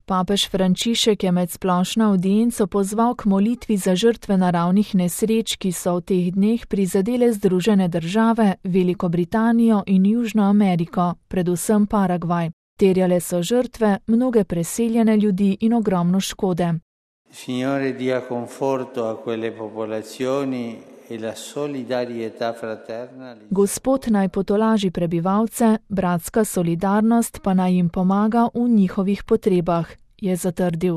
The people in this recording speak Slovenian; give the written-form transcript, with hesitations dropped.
Papež Frančišek je med splošno avdienco pozval k molitvi za žrtve naravnih nesreč, ki so v teh dneh prizadele Združene države, Veliko Britanijo in Južno Ameriko, predvsem Paragvaj. Terjale so žrtve, mnoge preseljene ljudi in ogromno škode. Signore dia conforto a quelle popolazioni e la solidarietà fraterna. Gospod naj potolaži prebivalce, bratska solidarnost pa naj jim pomaga v njihovih potrebah, je zatrdil.